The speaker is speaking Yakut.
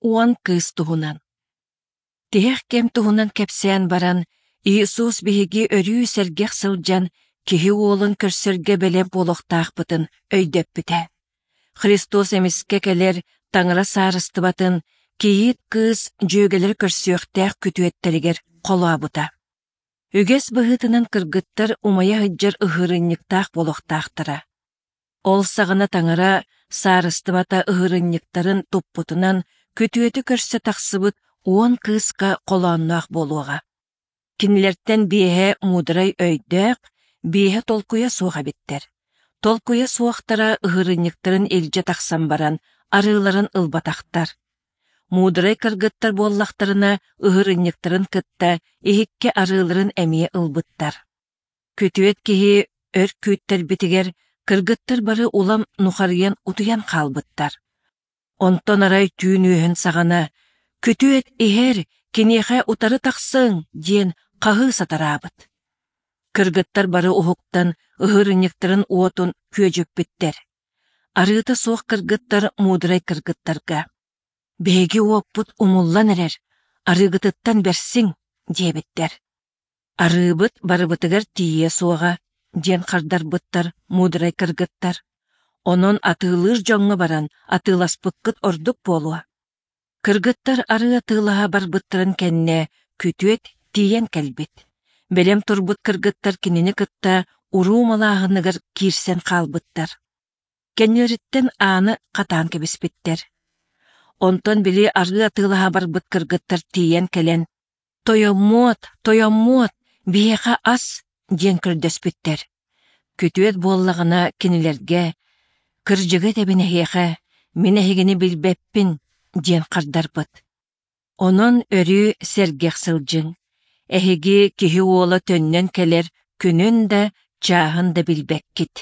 Уон кыыс туһунан. Тиһэх кэм туһунан кэпсээн баран, Иисус биһиги өрүү сэргэх сылдьан Киһи Уолун көрсөргө бэлэм буолуохтаахпытын өйдөппүтэ. Христос эмискэ кэлэр Таҥара Саарыстыбатын кийиит кыыс дьүөгэлэр көрсүөхтээх күтүөттэригэр холообута. Үгэс быһыытынан кыргыттар умайа сылдьар ыһыырынньыктаах буолуохтаахтара. Ол саҕана Таҥара Саарыстыбата ыһыырынньыктарын туппутунан күтүөтү көрсө тахсыбыт уон кыыска холоонноох буолуоҕа. Кинилэртэн биэһэ муударай өйдөөх, биэһэ толкуйа суох эбиттэр. Толкуйа суохтара ыһыырынньыктарын илдьэ тахсан баран арыыларын ылбатахтар. Муударай кыргыттар буоллахтарына ыһыырынньыктарын кытта иһиккэ арыыларын эмиэ ылбыттар. Күтүөт киһи өр күүттэрбитигэр кыргыттар бары улам нухарыйан утуйан хаалбыттар. Онтон арай түүн үөһүн саҕана «Күтүөт иһэр, киниэхэ утары тахсыҥ!» диэн хаһыы сатараабыт. Кыргыттар бары уһуктан ыһыырынньыктарын уотун күөдьүппүттэр. Арыыта суох кыргыттар муударай кыргыттарга «Биһиги уоппут умуллан эрэр, арыыгытыттан бэрсиҥ» диэбиттэр. «Арыыбыт барыбытыгар тиийиэ суоҕа» диэн хардарбыттар муударай кыргыттар. «Онон атыылыыр дьоҥҥо баран атыыласпыккыт ордук буолуо». Кыргыттар арыы атыылаһа барбыттарын кэннэ күтүөт тиийэн кэлбит. Бэлэм турбут кыргыттар кинини кытта уруу малааһыныгар киирсэн хаалбыттар. Кэннилэриттэн ааны хатаан кэбиспиттэр. Онтон били арыы атыылаһа барбыт кыргыттар тиийэн кэлэн «Тойоммуот, тойоммуот, биһиэхэ ас!» диэн көрдөспүттэр. Күтүөт буоллаҕына кинилэргэ «Кырдьыгы этэбин эһиэхэ, мин эһигини билбэппин» диэн хардарбыт. Онон өрүү сэргэх сылдьыҥ. Эһиги Киһи Уола төннөн кэлэр күнүн да, чааһын да билбэккит.